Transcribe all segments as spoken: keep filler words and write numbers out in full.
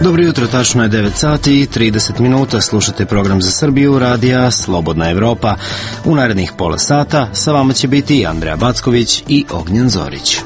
Dobro jutro, tačno je devet sati i trideset minuta, slušate program za Srbiju, radija Slobodna Evropa. U narednih pola sata sa vama će biti Andreja Backović i Ognjen Zorić.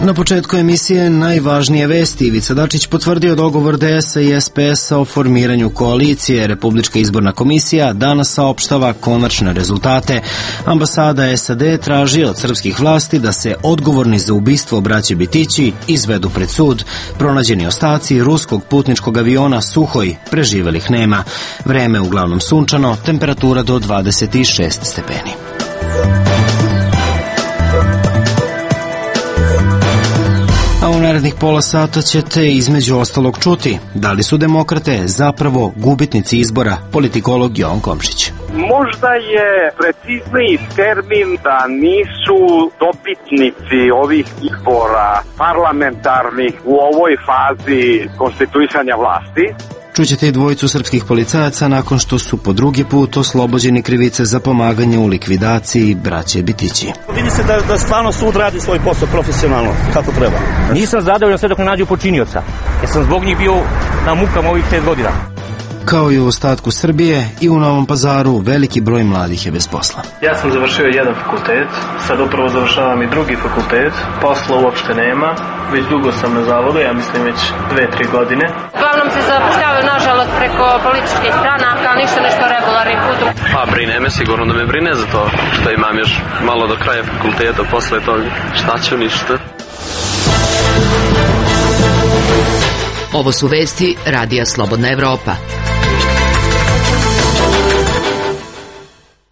Na početku emisije najvažnije vesti. Ivica Dačić potvrdio dogovor D S A i S P S-a o formiranju koalicije. Republička izborna komisija danas saopštava konačne rezultate. Ambasada S A D traži od srpskih vlasti da se odgovorni za ubistvo braće Bitići izvedu pred sud. Pronađeni ostaci ruskog putničkog aviona Suhoj, preživelih nema. Vreme uglavnom sunčano, temperatura do dvadeset šest stepeni. A u narednih pola sata ćete između ostalog čuti da li su demokrate zapravo gubitnici izbora, politikolog Jovan Komšić. Možda je precizniji termin da nisu dobitnici ovih izbora parlamentarnih u ovoj fazi konstituisanja vlasti. Čućete i dvojicu srpskih policajaca nakon što su po drugi put oslobođeni krivice za pomaganje u likvidaciji braće Bitići. Vidi se da, da stvarno sud radi svoj posao profesionalno, kako treba. Nisam zadovoljan sve dok ne nađu počinioca, jer sam zbog njih bio na mukama ovih pet godina. Kao i u ostatku Srbije, i u Novom Pazaru veliki broj mladih je bez posla. Ja sam završio jedan fakultet, sad upravo završavam i drugi fakultet, posla uopšte nema, već dugo sam na zavodu, ja mislim već dve, tri godine. Uglavnom se zapošljavaju nažalost preko političkih stranaka, ali ništa nešto regularnim putom. Pa brine me, sigurno da me brine za to što imam još malo do kraja fakulteta, posle toga šta ću ništa. Ovo su vesti radija Slobodna Evropa.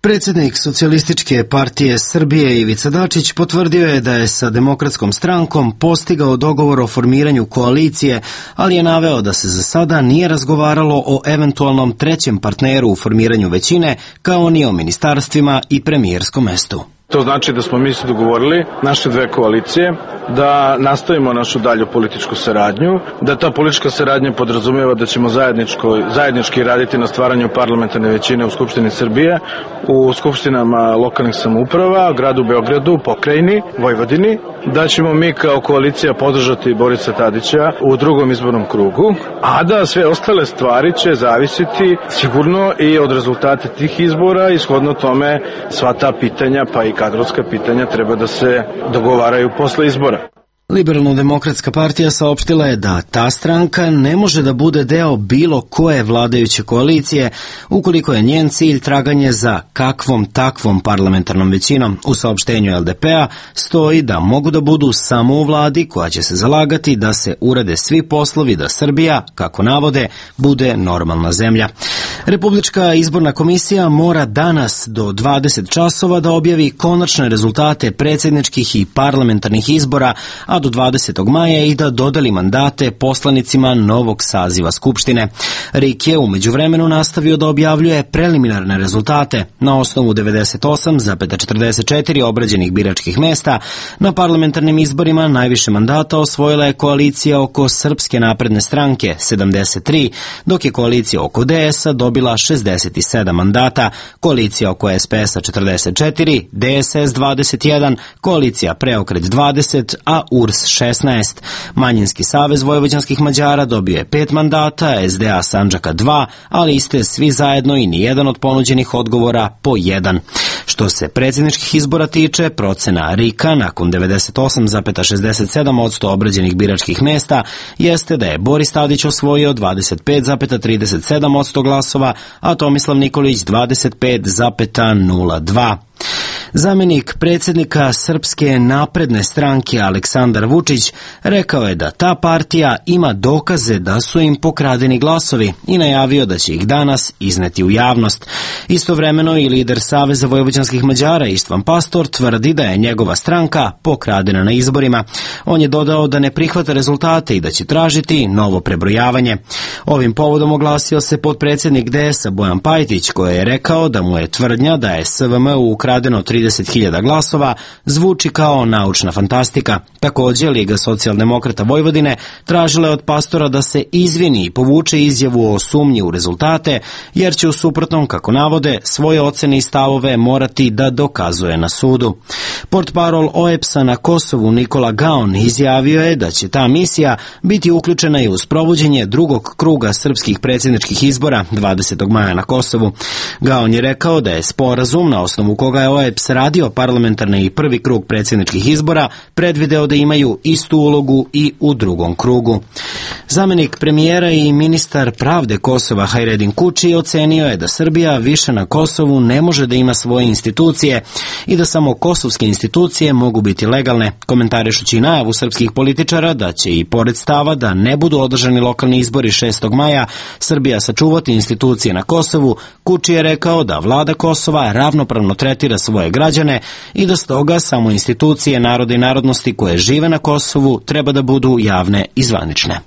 Predsjednik Socijalističke partije Srbije Ivica Dačić potvrdio je da je sa Demokratskom strankom postigao dogovor o formiranju koalicije, ali je naveo da se za sada nije razgovaralo o eventualnom trećem partneru u formiranju većine, kao ni o ministarstvima i premijerskom mestu. To znači da smo mi se dogovorili, naše dve koalicije, da nastavimo našu dalju političku saradnju, da ta politička saradnja podrazumijeva da ćemo zajednički raditi na stvaranju parlamentarne većine u Skupštini Srbije, u skupštinama lokalnih samouprava, gradu Beogradu, pokrajini, Vojvodini, da ćemo mi kao koalicija podržati Borisa Tadića u drugom izbornom krugu, a da sve ostale stvari će zavisiti sigurno i od rezultata tih izbora i shodno tome sva ta pitanja pa i kadrovska pitanja treba da se dogovaraju posle izbora. Liberalno-demokratska partija saopštila je da ta stranka ne može da bude deo bilo koje vladajuće koalicije ukoliko je njen cilj traganje za kakvom takvom parlamentarnom većinom. U saopštenju L D P-a stoji da mogu da budu samo u vladi koja će se zalagati da se urade svi poslovi da Srbija, kako navode, bude normalna zemlja. Republička izborna komisija mora danas do dvadeset časova da objavi konačne rezultate predsjedničkih i parlamentarnih izbora, a do dvadesetog maja i da dodeli mandate poslanicima novog saziva Skupštine. R I K je u međuvremenu nastavio da objavljuje preliminarne rezultate. Na osnovu devedeset osam zarez četrdeset četiri obrađenih biračkih mesta na parlamentarnim izborima najviše mandata osvojila je koalicija oko Srpske napredne stranke sedamdeset tri, dok je koalicija oko D S A dobila šezdeset sedam mandata, koalicija oko S P S-a četrdeset četiri, D S S dvadeset jedan, koalicija Preokret dvadeset, a U R S šesnaest. Manjinski savez vojvođanskih Mađara dobio je pet mandata, S D A Sandžaka dva, ali iste svi zajedno i nijedan od ponuđenih odgovora po jedan. Što se predsjedničkih izbora tiče, procena R I K-a nakon devedeset osam zarez šezdeset sedam posto obrađenih biračkih mesta jeste da je Boris Tadić osvojio dvadeset pet zarez trideset sedam posto glasova, a Tomislav Nikolić dvadeset pet zarez nula dva. Zamenik predsjednika Srpske napredne stranke Aleksandar Vučić rekao je da ta partija ima dokaze da su im pokradeni glasovi i najavio da će ih danas izneti u javnost. Istovremeno i lider Saveza vojvođanskih Mađara Istvan Pastor tvrdi da je njegova stranka pokradena na izborima. On je dodao da ne prihvata rezultate i da će tražiti novo prebrojavanje. Ovim povodom oglasio se potpredsjednik D S A Bojan Pajtić, koji je rekao da mu je tvrdnja da je S V M U ukradeno trideset trideset hiljada glasova zvuči kao naučna fantastika. Također, Liga socijaldemokrata Vojvodine tražila je od Pastora da se izvini i povuče izjavu o sumnji u rezultate, jer će u suprotnom, kako navode, svoje ocene i stavove morati da dokazuje na sudu. Portparol O E P S-a na Kosovu Nikola Gaon izjavio je da će ta misija biti uključena i u sprovođenje drugog kruga srpskih predsjedničkih izbora dvadesetog maja na Kosovu. Gaon je rekao da je sporazum na osnovu koga je O E P S radio parlamentarni i prvi krug predsjedničkih izbora predvideo da imaju istu ulogu i u drugom krugu. Zamenik premijera i ministar pravde Kosova Hajredin Kuči ocenio je da Srbija više na Kosovu ne može da ima svoje institucije i da samo kosovske institucije mogu biti legalne, komentarišući najavu srpskih političara da će i pored stava da ne budu održani lokalni izbori šestog maja Srbija sačuvati institucije na Kosovu. Kuči je rekao da vlada Kosova ravnopravno tretira svoje građane i da stoga samo institucije naroda i narodnosti koje žive na Kosovu treba da budu javne i zvanične.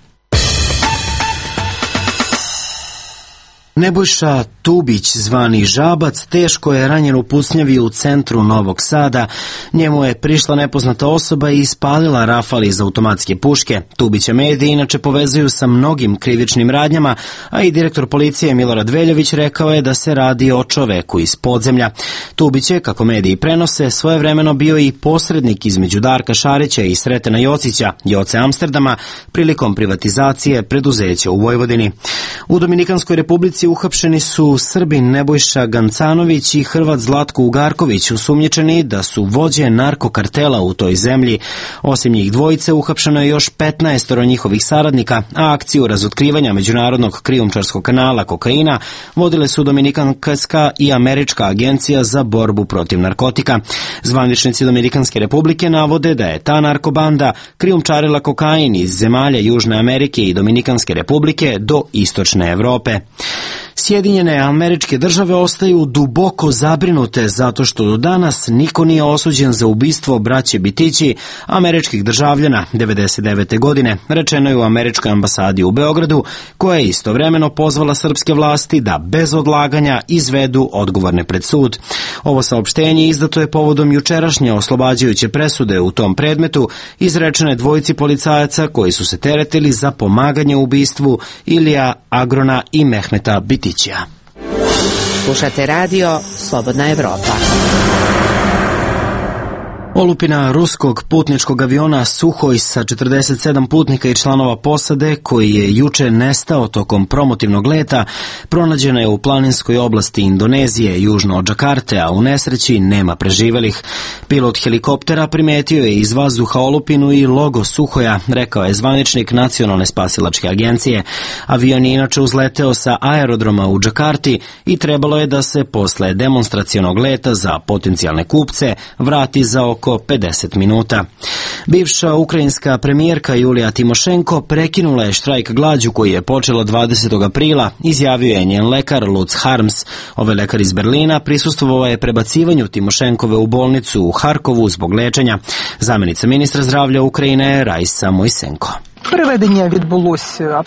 Nebojša Tubić, zvani Žabac, teško je ranjen u pucnjavi u centru Novog Sada. Njemu je prišla nepoznata osoba i ispalila rafal iz automatske puške. Tubića mediji inače povezuju sa mnogim krivičnim radnjama, a i direktor policije Milorad Veljović rekao je da se radi o čoveku iz podzemlja. Tubić je, kako mediji prenose, svojevremeno bio i posrednik između Darka Šarića i Sretena Jocića, Joce Amsterdama, prilikom privatizacije preduzeća u Vojvodini. U Dominikanskoj republici uhapšeni su Srbin Nebojša Gancanović i Hrvat Zlatko Ugarković, osumnjičeni da su vođe narkokartela u toj zemlji. Osim njih dvojice, uhapšeno je još petnaestoro njihovih saradnika, a akciju razotkrivanja međunarodnog krijumčarskog kanala kokaina vodile su Dominikanska i Američka agencija za borbu protiv narkotika. Zvaničnici Dominikanske republike navode da je ta narkobanda krijumčarila kokain iz zemalja Južne Amerike i Dominikanske republike do istočne Evrope. Sjedinjene Američke Države ostaju duboko zabrinute zato što do danas niko nije osuđen za ubistvo braće Bitići, američkih državljana devedeset devete godine, rečeno je u američkoj ambasadi u Beogradu, koja je istovremeno pozvala srpske vlasti da bez odlaganja izvedu odgovorne pred sud. Ovo saopštenje izdato je povodom jučerašnje oslobađajuće presude u tom predmetu, izrečene dvojici policajaca koji su se teretili za pomaganje u ubistvu Ilija Agrona i Mehmeta Bitića. Slušate radio Slobodna Evropa. Olupina ruskog putničkog aviona Suhoj sa četrdeset sedam putnika i članova posade, koji je juče nestao tokom promotivnog leta, pronađena je u planinskoj oblasti Indonezije, južno od Džakarte, a u nesreći nema preživelih. Pilot helikoptera primetio je iz vazduha olupinu i logo Suhoja, rekao je zvaničnik Nacionalne spasilačke agencije. Avion je inače uzleteo sa aerodroma u Džakarti i trebalo je da se posle demonstracionog leta za potencijalne kupce vrati za oko pedeset minuta. Bivša ukrajinska premijerka Julija Timošenko prekinula je štrajk glađu koji je počela dvadesetog aprila, izjavio je njen lekar Lutz Harms. Ovaj lekar iz Berlina prisustvovao je prebacivanju Timošenkove u bolnicu u Harkovu zbog lečenja. Zamenica ministra zdravlja Ukrajine Rajsa Mojsenko.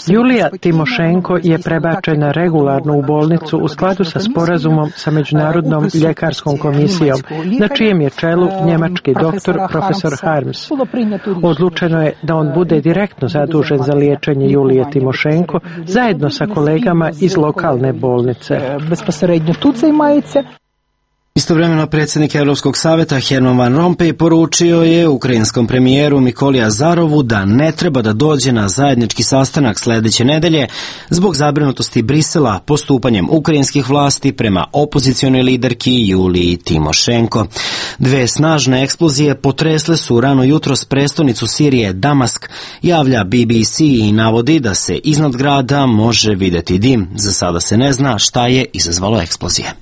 Julija Timošenko je prebačena regularno u bolnicu u skladu sa sporazumom sa Međunarodnom ljekarskom komisijom, na čijem je čelu njemački doktor profesor Harms. Odlučeno je da on bude direktno zadužen za liječenje Julije Timošenko zajedno sa kolegama iz lokalne bolnice. Istovremeno predsjednik Europskog saveta Herman Van Rompuy poručio je ukrajinskom premijeru Mikoli Azarovu da ne treba da dođe na zajednički sastanak sljedeće nedelje zbog zabrinutosti Brisela postupanjem ukrajinskih vlasti prema opozicionoj liderki Juliji Timošenko. Dve snažne eksplozije potresle su rano jutros prestonicu Sirije Damask, javlja B B C i navodi da se iznad grada može vidjeti dim. Za sada se ne zna šta je izazvalo eksplozije.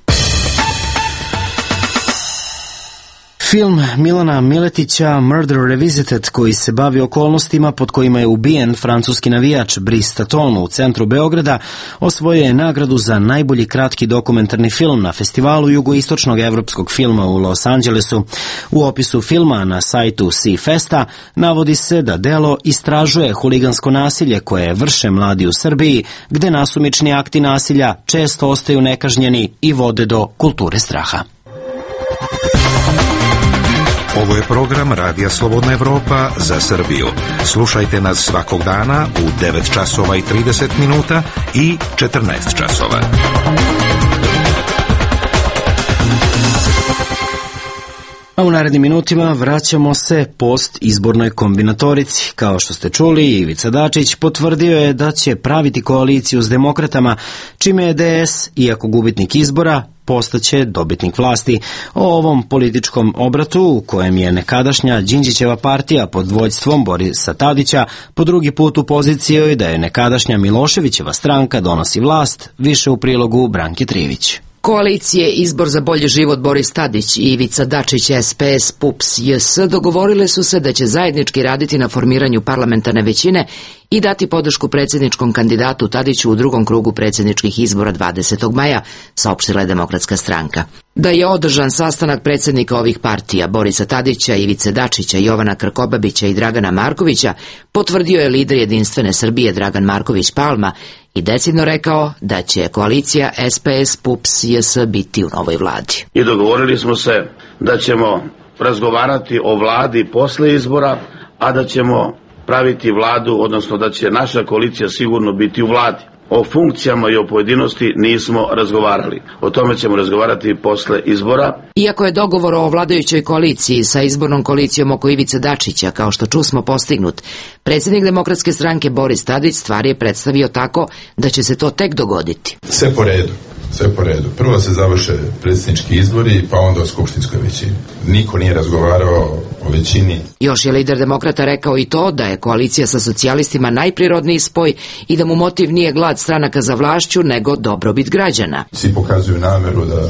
Film Milana Miletića Murder Revisited, koji se bavi okolnostima pod kojima je ubijen francuski navijač Brice Taton u centru Beograda, osvojio je nagradu za najbolji kratki dokumentarni film na festivalu jugoistočnog evropskog filma u Los Angelesu. U opisu filma na sajtu C-Festa navodi se da delo istražuje huligansko nasilje koje vrše mladi u Srbiji, gde nasumični akti nasilja često ostaju nekažnjeni i vode do kulture straha. Ovo je program Radija Slobodna Evropa za Srbiju. Slušajte nas svakog dana u devet časova i trideset minuta i četrnaest časova. A u narednim minutima vraćamo se post izbornoj kombinatorici. Kao što ste čuli, Ivica Dačić potvrdio je da će praviti koaliciju s demokratama, čime je D S, iako gubitnik izbora, postaće dobitnik vlasti. O ovom političkom obratu, u kojem je nekadašnja Đinđićeva partija pod vođstvom Borisa Tadića po drugi put u poziciji da je nekadašnja Miloševićeva stranka donosi vlast, više u prilogu Branke Trivić. Koalicije Izbor za bolji život Boris Tadić i Ivica Dačić S P S P U P S J S dogovorile su se da će zajednički raditi na formiranju parlamentarne većine i dati podršku predsjedničkom kandidatu Tadiću u drugom krugu predsjedničkih izbora dvadesetog maja, saopštila je Demokratska stranka. Da je održan sastanak predsjednika ovih partija, Borisa Tadića, Ivice Dačića, Jovana Krkobabića i Dragana Markovića, potvrdio je lider Jedinstvene Srbije Dragan Marković Palma i decidno rekao da će koalicija S P S P U P S J S biti u novoj vladi. I dogovorili smo se da ćemo razgovarati o vladi posle izbora, a da ćemo praviti vladu, odnosno da će naša koalicija sigurno biti u vladi. O funkcijama i o pojedinosti nismo razgovarali. O tome ćemo razgovarati posle izbora. Iako je dogovor o vladajućoj koaliciji sa izbornom koalicijom oko Ivice Dačića, kao što čusmo, postignut, predsjednik Demokratske stranke Boris Tadić stvar je predstavio tako da će se to tek dogoditi. Sve po redu. Sve po redu. Prvo se završe predsjednički izbori, pa onda o skupštinskoj većini. Niko nije razgovarao o većini. Još je lider demokrata rekao i to da je koalicija sa socijalistima najprirodniji spoj i da mu motiv nije glad stranaka za vlašću, nego dobrobit građana. Svi pokazuju nameru da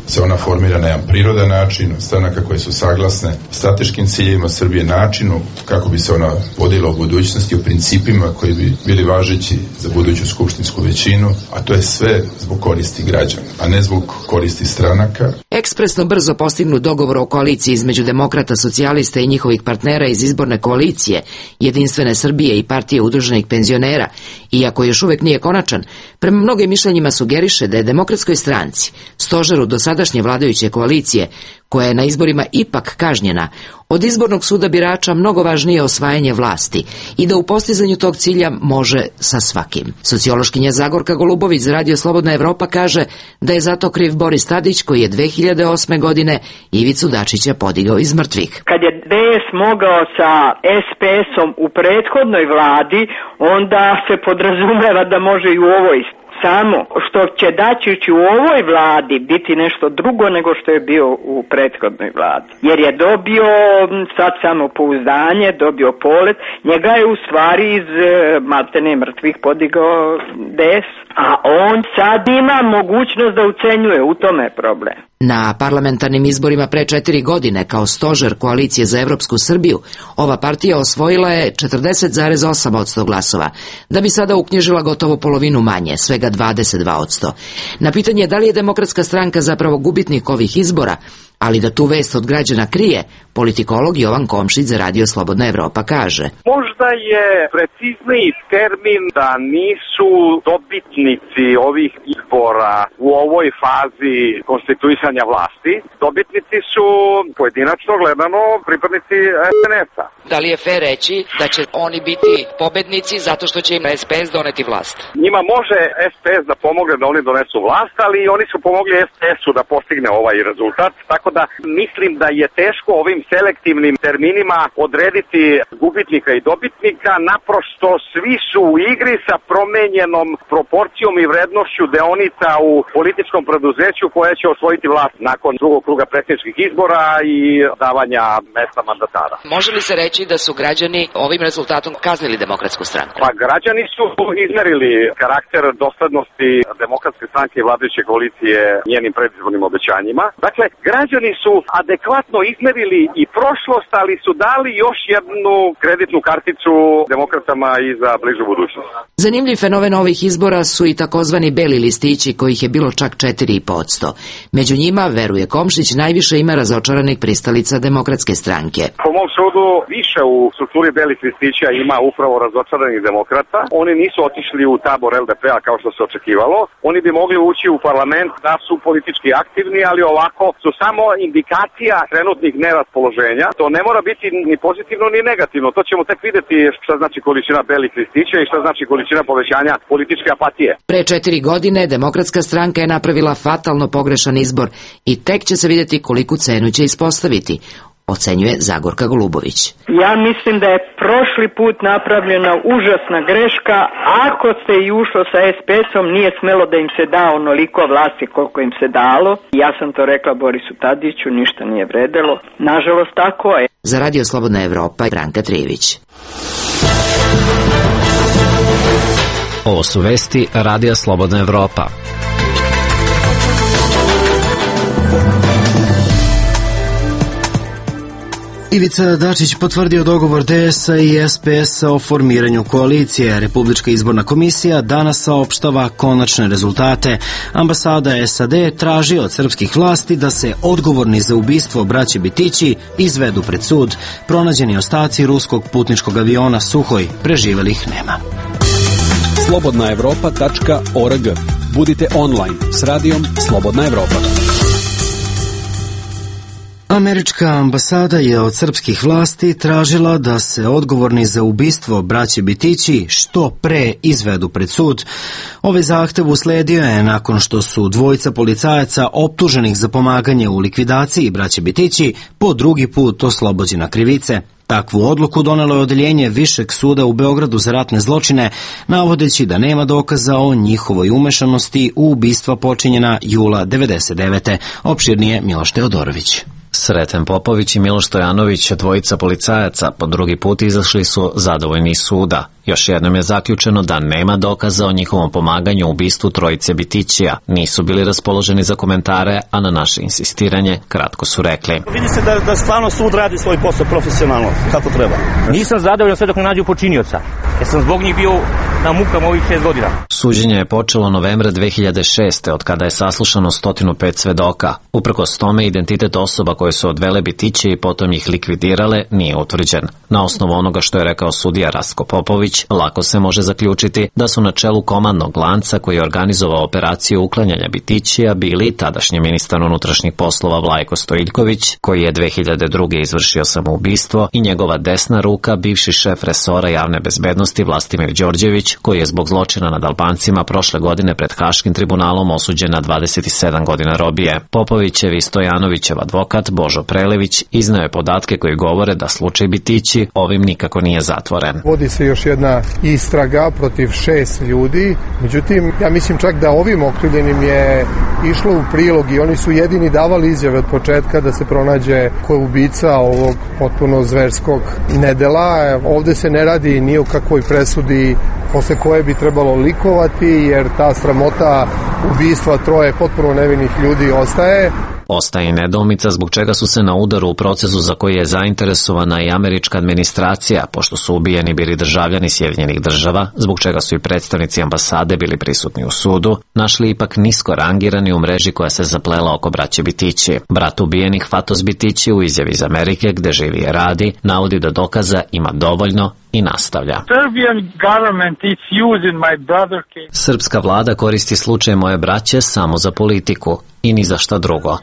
se ona formira na jedan prirodan način, stranaka koje su saglasne strateškim ciljevima Srbije, načinu kako bi se ona vodila u budućnosti, u principima koji bi bili važeći za buduću skupštinsku većinu, a to je sve zbog koristi građana, a ne zbog koristi stranaka. Ekspresno brzo postignut dogovor o koaliciji između demokrata, socijalista i njihovih partnera iz izborne koalicije, Jedinstvene Srbije i Partije udruženih penzionera, iako još uvek nije konačan, prema mnogim mišljenjima sugeriše da je Demokratskoj stranci, stožeru do sadašnje vladajuće koalicije, koja je na izborima ipak kažnjena, od izbornog suda birača mnogo važnije osvajanje vlasti i da u postizanju tog cilja može sa svakim. Sociološkinja Zagorka Golubović za Radio Slobodna Evropa kaže da je zato kriv Boris Tadić, koji je dve hiljade osme godine Ivicu Dačića podigao iz mrtvih. Kad je D S mogao sa S P S-om u prethodnoj vladi, onda se podrazumeva da može i u ovoj. Samo što će Dačić u ovoj vladi biti nešto drugo nego što je bio u prethodnoj vladi. Jer je dobio sad samopouzdanje, dobio polet, njega je u stvari iz maltene mrtvih podigao D S, a on sad ima mogućnost da ucenjuje, u tome je problem. Na parlamentarnim izborima pre četiri godine kao stožer koalicije za Evropsku Srbiju, ova partija osvojila je četrdeset zarez osam posto glasova, da bi sada uknjižila gotovo polovinu manje, svega dvadeset dva posto. Na pitanje da li je Demokratska stranka zapravo gubitnik ovih izbora, ali da tu vest od građana krije, politikolog Jovan Komšić za Radio Slobodna Evropa kaže: Možda je precizniji termin da nisu dobitnici ovih izbora u ovoj fazi konstituisanja vlasti. Dobitnici su pojedinačno gledano pripadnici S N S-a. Da li je fair reći da će oni biti pobednici zato što će im S P S doneti vlast? Njima može S P S da pomogne da oni donesu vlast, ali oni su pomogli S P S-u da postigne ovaj rezultat, tako da mislim da je teško ovim selektivnim terminima odrediti gubitnika i dobitnika, naprosto svi su u igri sa promenjenom proporcijom i vrednošću deonica u političkom preduzeću koje će osvojiti vlast nakon drugog kruga predsjedničkih izbora i davanja mesta mandatara. Može li se reći da su građani ovim rezultatom kaznili Demokratsku stranku? Pa građani su izmerili karakter doslednosti Demokratske stranke i vladajuće koalicije njenim predizbornim obećanjima. Dakle, građani su adekvatno izmerili i prošlost, ali su dali još jednu kreditnu karticu šansu demokratama i za bližu budućnost. Zanimljiv fenomen ovih izbora su i takozvani beli listići, kojih je bilo čak četiri zarez pet posto. Među njima, veruje Komšić, najviše ima razočaranih pristalica Demokratske stranke. Po mom sudu više u strukturi belih listića ima upravo razočaranih demokrata. Oni nisu otišli u tabor el de pe-a kao što se očekivalo. Oni bi mogli ući u parlament da su politički aktivni, ali ovako su samo indikacija trenutnih neraspoloženja. To ne mora biti ni pozitivno ni negativno. To ćemo tek vidjeti šta znači količina belih listića i šta znači količina povećanja političke apatije. Pre četiri godine Demokratska stranka je napravila fatalno pogrešan izbor i tek će se vidjeti koliku cenu će ispostaviti, ocenjuje Zagorka Golubović. Ja mislim da je prošli put napravljena užasna greška. Ako se i ušlo sa es pe esom, nije smelo da im se da onoliko vlasti koliko im se dalo. Ja sam to rekla Borisu Tadiću, ništa nije vredelo. Nažalost, tako je. Za Radio Slobodna Evropa, Branka Trijević. Ovo su vesti Radija Slobodna Evropa. Ivica Dačić potvrdio dogovor de es-a i es pe es-a o formiranju koalicije. Republička izborna komisija danas saopštava konačne rezultate. Ambasada es a de traži od srpskih vlasti da se odgovorni za ubistvo braće Bitići izvedu pred sud. Pronađeni ostaci ruskog putničkog aviona Suhoj, preživelih nema. slobodna evropa tačka org. Budite online s radijom Slobodna Evropa. Američka ambasada je od srpskih vlasti tražila da se odgovorni za ubistvo braće Bitići što pre izvedu pred sud. Ovaj zahtev usledio je nakon što su dvojica policajaca optuženih za pomaganje u likvidaciji braće Bitići po drugi put oslobođena krivice. Takvu odluku donelo je odeljenje Višeg suda u Beogradu za ratne zločine, navodeći da nema dokaza o njihovoj umešanosti u ubistva počinjena jula devedeset devete. Opširnije Miloš Teodorović. Sreten Popović i Miloš Stojanović, dvojica policajaca, po drugi put izašli su zadovoljni iz suda. Još jednom je zaključeno da nema dokaza o njihovom pomaganju u ubistvu trojice Bitićija. Nisu bili raspoloženi za komentare, a na naše insistiranje kratko su rekli. Vidi se da, da stvarno sud radi svoj posao profesionalno, kako treba. Nisam zadovoljan sve dok ne nađu počinioca, jer sam zbog njih bio na mukama ovih šest godina. Suđenje je počelo novembra dve hiljade šeste. od kada je saslušano sto pet svedoka. Uprkos tome, identitet osoba koje su odvele Bitiće i potom ih likvidirale nije utvrđen. Na osnovu onoga što je rekao sudija Rastko Popović, lako se može zaključiti da su na čelu komandnog lanca koji je organizovao operaciju uklanjanja Bitićija bili tadašnji ministar unutrašnjih poslova Vlajko Stojiljković, koji je dve hiljade druge. izvršio samoubistvo, i njegova desna ruka, bivši šef resora javne bezbednosti Vlastimir Đorđević, koji je zbog zločina nad Albancima prošle godine pred Haškim tribunalom osuđen na dvadeset sedam godina robije. Popovićev i Stojanovićev advokat Božo Prelević izneo je podatke koji govore da slučaj Bitići ovim nikako nije zatvoren. Vodi se još jedna istraga protiv šest ljudi, međutim, ja mislim čak da ovim okrivljenim je išlo u prilog i oni su jedini davali izjave od početka da se pronađe ko je ubica ovog potpuno zverskog nedela. Ovde se ne radi ni o kakvoj presudi posle koje bi trebalo likovati, jer ta sramota ubistva troje potpuno nevinih ljudi ostaje. Ostaje i nedoumica zbog čega su se na udaru u procesu za koji je zainteresovana i američka administracija, pošto su ubijeni bili državljani Sjedinjenih država, zbog čega su i predstavnici ambasade bili prisutni u sudu, našli ipak nisko rangirani u mreži koja se zaplela oko braće Bitići. Brat ubijenih Fatos Bitići u izjavi iz Amerike, gde živi i radi, navodi da dokaza ima dovoljno i nastavlja. Srpska vlada koristi slučaj moje braće samo za politiku i ni za šta drugo.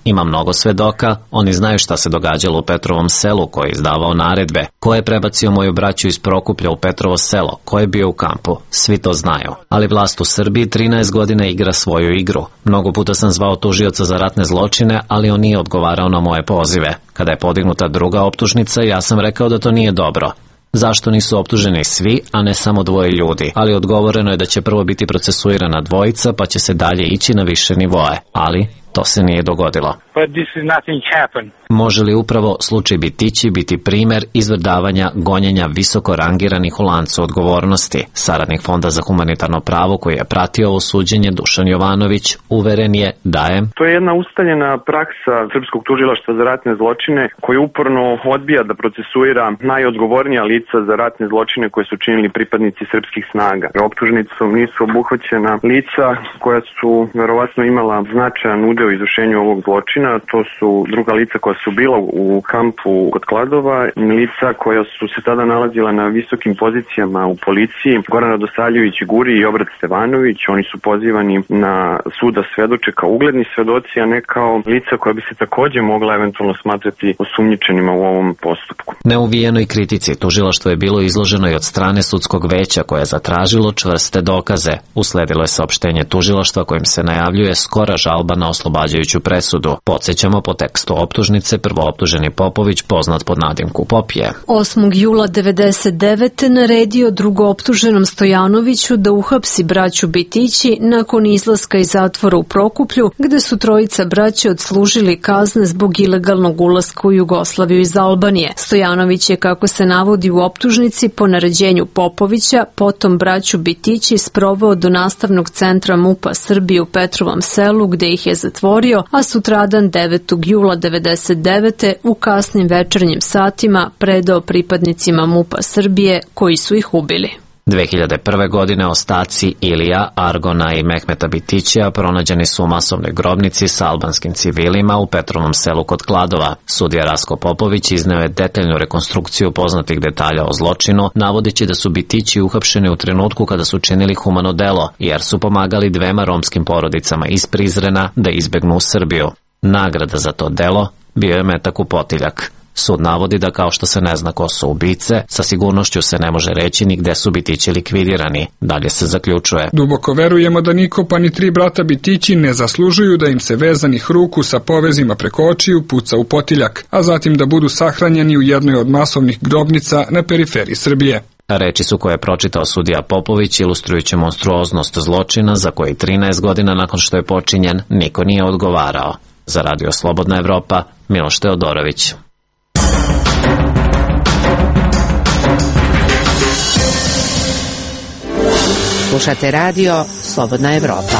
Ima mnogo svedoka, oni znaju šta se događalo u Petrovom selu, ko je izdavao naredbe, ko je prebacio moju braću iz Prokuplja u Petrovo selo, ko je bio u kampu, svi to znaju. Ali vlast u Srbiji trinaest godina igra svoju igru. Mnogo puta sam zvao tužioca za ratne zločine, ali on nije odgovarao na moje pozive. Kada je podignuta druga optužnica, ja sam rekao da to nije dobro. Zašto nisu optuženi svi, a ne samo dvoje ljudi? Ali odgovoreno je da će prvo biti procesuirana dvojica, pa će se dalje ići na više nivoe. Ali To se nije dogodilo. But this is nothing happened. Može li upravo slučaj Bitići biti primer izvrdavanja gonjenja visoko rangiranih u lancu odgovornosti? Saradnik Fonda za humanitarno pravo koji je pratio ovo suđenje, Dušan Jovanović, uveren je da je... To je jedna ustaljena praksa Srpskog tužilaštva za ratne zločine koji uporno odbija da procesuira najodgovornija lica za ratne zločine koje su činili pripadnici srpskih snaga. Optužnicom nisu obuhvaćena lica koja su verovatno imala značajan udeo u izvršenju ovog zločina. To su druga lica koja su bila u kampu kod Kladova, lica koja su se tada nalazila na visokim pozicijama u policiji, Goran Radosavljević Guri i Obrat Stevanović. Oni su pozivani na suda svedoče kao ugledni svedoci, a ne kao lica koja bi se takođe mogla eventualno smatrati osumnjičenima u ovom postupku. Neuvijenoj kritici tužilaštvo je bilo izloženo i od strane sudskog veća koje je zatražilo čvrste dokaze. Usledilo je saopštenje tužilaštva kojim se najavljuje skora žalba na oslobađajuću presudu. Podsjećamo, po tekstu optužnice prvooptuženi Popović, poznat pod nadimku Popije, osmog jula devedeset devete naredio drugooptuženom Stojanoviću da uhapsi braću Bitići nakon izlaska iz zatvora u Prokuplju, gde su trojica braće odslužili kazne zbog ilegalnog ulaska u Jugoslaviju iz Albanije. Stojanović je, kako se navodi u optužnici, po naređenju Popovića potom braću Bitići sproveo do nastavnog centra MUP-a Srbije u Petrovom Selu, gde ih je zatvorio, a sutradan devetog jula devedeset devete u kasnim večernjim satima predao pripadnicima MUP-a Srbije koji su ih ubili. dve hiljade prve. godine ostaci Ilija, Argona i Mehmeta Bitićija pronađeni su u masovnoj grobnici sa albanskim civilima u Petrovom Selu kod Kladova. Sudija Rasko Popović izneo je detaljnu rekonstrukciju poznatih detalja o zločinu, navodeći da su Bitići uhapšeni u trenutku kada su činili humano delo, jer su pomagali dvema romskim porodicama iz Prizrena da izbegnu u Srbiju. Nagrada za to delo bio je metak u potiljak. Sud navodi da kao što se ne zna ko su ubice, sa sigurnošću se ne može reći ni gde su Bitići likvidirani. Dalje se zaključuje: duboko verujemo da niko pa ni tri brata Bitići ne zaslužuju da im se vezanih ruku sa povezima preko očiju puca u potiljak, a zatim da budu sahranjeni u jednoj od masovnih grobnica na periferiji Srbije. Reči su koje je pročitao sudija Popović, ilustrujući monstruoznost zločina za koji trinaest godina nakon što je počinjen niko nije odgovarao. Za Radio Slobodna Evropa, Miloš Teodorović. Slušate radio Slobodna Evropa.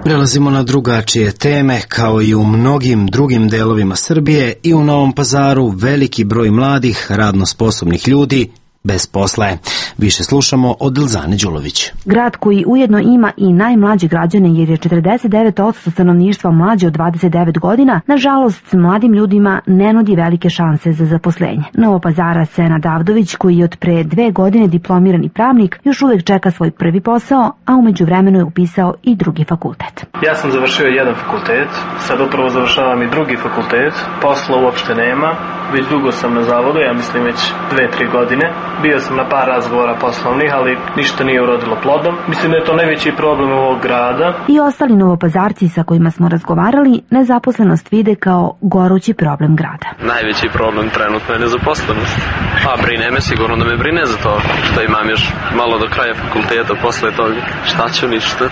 Prelazimo na drugačije teme. Kao i u mnogim drugim delovima Srbije, i u Novom Pazaru veliki broj mladih, radno sposobnih ljudi bez posla je. Više slušamo od Ilzane Đulović. Grad koji ujedno ima i najmlađe građane, jer je četrdeset devet posto stanovništva mlađe od dvadeset devet godina, nažalost mladim ljudima ne nudi velike šanse za zaposlenje. Novopazara Senad Avdović, koji je od pre dve godine diplomirani pravnik, još uvek čeka svoj prvi posao, a umeđu vremenu je upisao i drugi fakultet. Ja sam završio jedan fakultet, sad upravo završavam i drugi fakultet, posla uopšte nema, već dugo sam na zavodu, ja mislim već dve, tri godine. Bio sam na par razgovora poslovnih, ali ništa nije urodilo plodom. Mislim da je to najveći problem ovog grada. I ostali novopazarci sa kojima smo razgovarali nezaposlenost vide kao gorući problem grada. Najveći problem trenutno je nezaposlenost. Pa brine me, sigurno da me brine za to što imam još malo do kraja fakulteta, posle toga šta ću, ništa.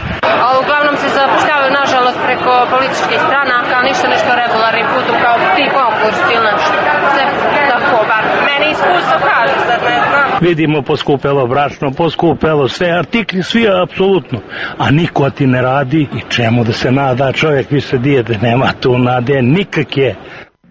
A uglavnom se zapošljavaju nažalost preko političkih stranaka, ništa nešto regularnim putom kao ti konkurs ili nešto. Sve tako, bar meni iskustvo kaže, sad ne znam. Vidimo poskupelo brašno, poskupelo sve, artikli svi apsolutno, a niko ti ne radi i čemu da se nada čovjek, više dijete, nema tu nade nikakje.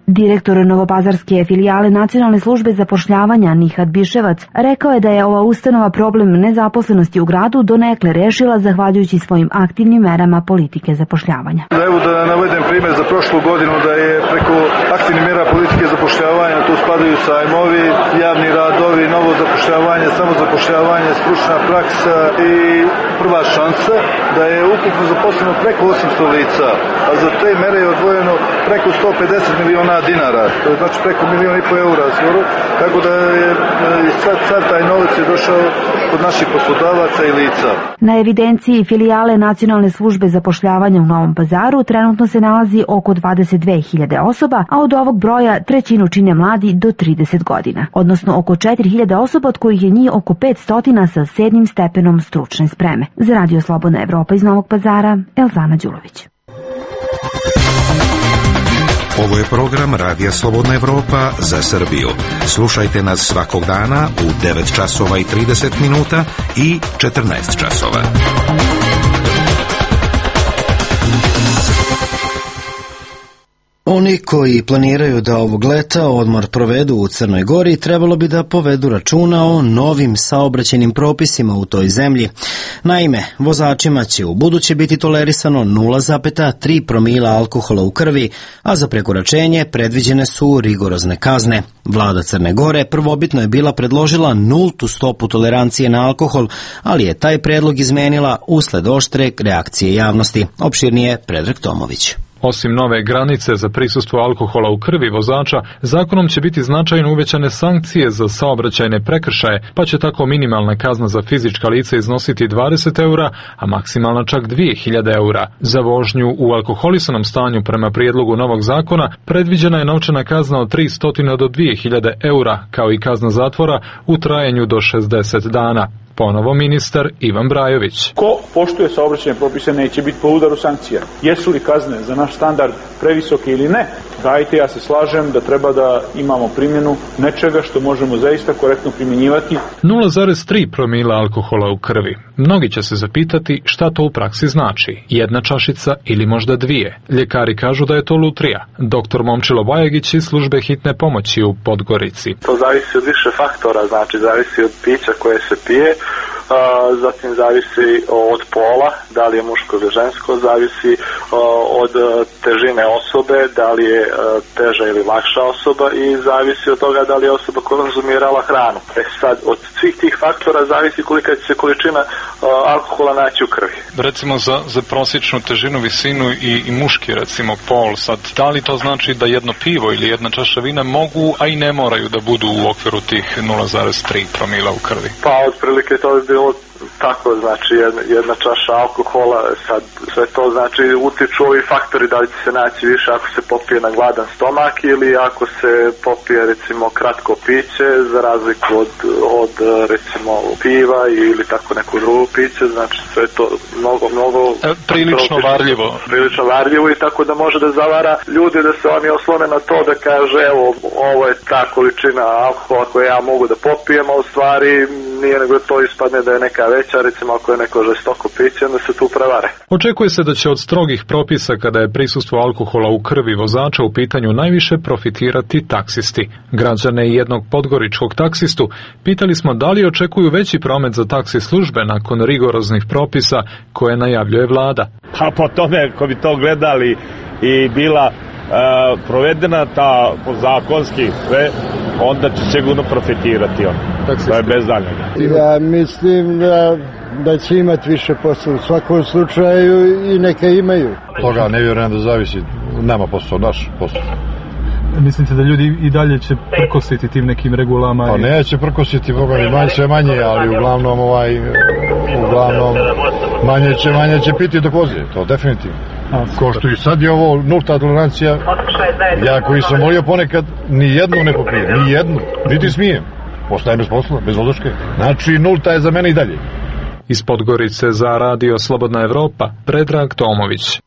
Direktor novopazarske filijale Nacionalne službe zapošljavanja Nihat Biševac rekao je da je ova ustanova problem nezaposlenosti u gradu donekle rešila zahvaljujući svojim aktivnim merama politike zapošljavanja. Evo da navedem primjer za prošlu godinu da je preko aktivnih mera politike zapošljavanja, tu spadaju sajmovi, javni radovi, novo zapošljavanje, samozapošljavanje, stručna praksa i prva šansa, da je ukupno zaposleno preko osamsto lica, a za te mere je odvojeno preko sto pedeset miliona dinara, to je znači preko milijon i po eura skoro, tako da je sad, sad taj novac je došao kod naših poslodavaca i lica. Na evidenciji filijale Nacionalne službe zapošljavanja u Novom Pazaru trenutno se nalazi oko dvadeset dve hiljade osoba, a od ovog broja trećinu čine mladi do trideset godina, odnosno oko četiri hiljade osoba, od kojih je njih oko petsto sa sedmim stepenom stručne spreme. Za Radio Slobodna Evropa iz Novog Pazara, Elzana Đulović. Ovo je program Radija Slobodna Evropa za Srbiju. Slušajte nas svakog dana u devet časova i trideset minuta i četrnaest časova. Oni koji planiraju da ovog leta odmor provedu u Crnoj Gori trebalo bi da povedu računa o novim saobraćajnim propisima u toj zemlji. Naime, vozačima će u buduće biti tolerisano nula zarez tri promila alkohola u krvi, a za prekoračenje predviđene su rigorozne kazne. Vlada Crne Gore prvobitno je bila predložila nultu stopu tolerancije na alkohol, ali je taj predlog izmenila usled oštre reakcije javnosti. Opširnije Predrag Tomović. Osim nove granice za prisustvo alkohola u krvi vozača, zakonom će biti značajno uvećane sankcije za saobraćajne prekršaje, pa će tako minimalna kazna za fizička lica iznositi dvadeset eura, a maksimalna čak dvije hiljade eura. Za vožnju u alkoholisanom stanju prema prijedlogu novog zakona predviđena je novčana kazna od tristo do dvije hiljade eura, kao i kazna zatvora u trajanju do šezdeset dana. Ponovo ministar Ivan Brajović. Ko poštuje saobraćajne propise neće biti po udaru sankcija. Jesu li kazne za naš standard previsoke ili ne? Dajte, ja se slažem da treba da imamo primjenu nečega što možemo zaista korektno primjenjivati. nula zarez tri promila alkohola u krvi. Mnogi će se zapitati šta to u praksi znači. Jedna čašica ili možda dvije. Ljekari kažu da je to lutrija. Doktor Momčilo Bajagić iz službe hitne pomoći u Podgorici. To zavisi od više faktora, znači zavisi od pića koje se pije, zatim zavisi od pola, da li je muško ili žensko, zavisi od težine osobe, da li je teža ili lakša osoba i zavisi od toga da li je osoba konzumirala hranu. E sad, od svih tih faktora zavisi kolika će se količina alkohola naći u krvi. Recimo za, za prosječnu težinu, visinu i, i muški, recimo pol, sad, da li to znači da jedno pivo ili jedna čaša vina mogu, a i ne moraju da budu u okviru tih nula zarez tri promila u krvi? Pa, otprilike to bi bilo tako, znači jedna, jedna čaša alkohola, sad sve to znači utiču ovi faktori, da li će se naći više ako se popije na gladan stomak ili ako se popije recimo kratko piće za razliku od, od recimo piva ili tako neko drugo piće, znači sve to mnogo, mnogo e, prilično varljivo. Prilično varljivo i tako da može da zavara ljudi da se oni oslone na to da kaže evo ovo je ta količina alkohola koju ja mogu da popijem, a u stvari nije nego to ispadne da je neka veća, recimo ako je neko žestoko piće, onda se tu prevare. Očekuje se da će od strogih propisa kada je prisustvo alkohola u krvi vozača u pitanju najviše profitirati taksisti. Građane i jednog podgoričkog taksistu pitali smo da li očekuju veći promet za taksi službe nakon rigoroznih propisa koje najavljuje vlada. A po tome, ako bi to gledali i bila e, provedena ta zakonski sve, onda će sigurno profitirati on. To je bez daljnjega. Ja mislim da, da će imati više posla u svakom slučaju i neka imaju. Toga ne vjerujem da zavisi, nema posao, naš posao. Mislite da ljudi i dalje će prkositi tim nekim regulama? Pa neće prkositi, boga mi manje sve manje, ali uglavnom ovaj, uglavnom manje će, manje će piti dok vozi, to definitivno. Ko što i sad je ovo nulta tolerancija, ja koji sam volio ponekad, ni jednu ne popijem, ni jednu, niti smijem. Ostajem bez posla, bez vozačke. Znači, nulta je za mene i dalje. Iz Podgorice za Radio Slobodna Evropa, Predrag Tomović.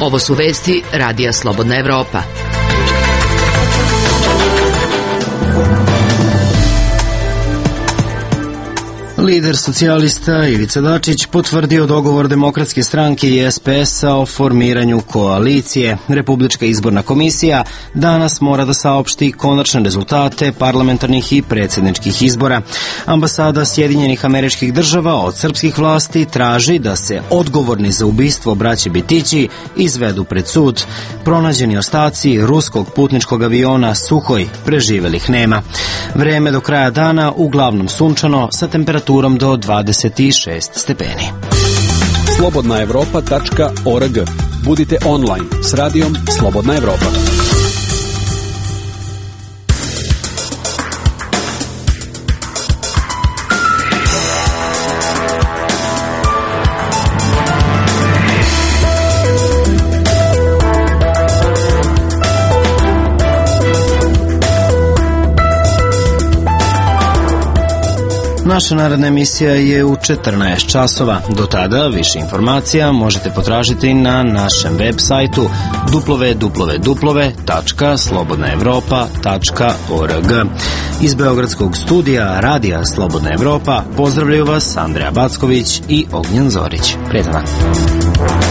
Ovo su vesti Radija Slobodna Evropa. Lider socijalista Ivica Dačić potvrdio dogovor Demokratske stranke i es pe es-a o formiranju koalicije. Republička izborna komisija danas mora da saopšti konačne rezultate parlamentarnih i predsjedničkih izbora. Ambasada Sjedinjenih Američkih Država od srpskih vlasti traži da se odgovorni za ubistvo braće Bitići izvedu pred sud. Pronađeni ostaci ruskog putničkog aviona Suhoj preživelih nema. Vreme do kraja dana uglavnom sunčano sa temperaturom do dvadeset šest stepeni. slobodna evropa tačka org. Budite online s radijom Slobodna Evropa. Naša naredna emisija je u četrnaest časova. Do tada više informacija možete potražiti na našem web sajtu w w w tačka slobodna evropa tačka org. Iz Beogradskog studija Radija Slobodna Evropa pozdravljaju vas Andreja Backović i Ognjen Zorić. Prijetan dan.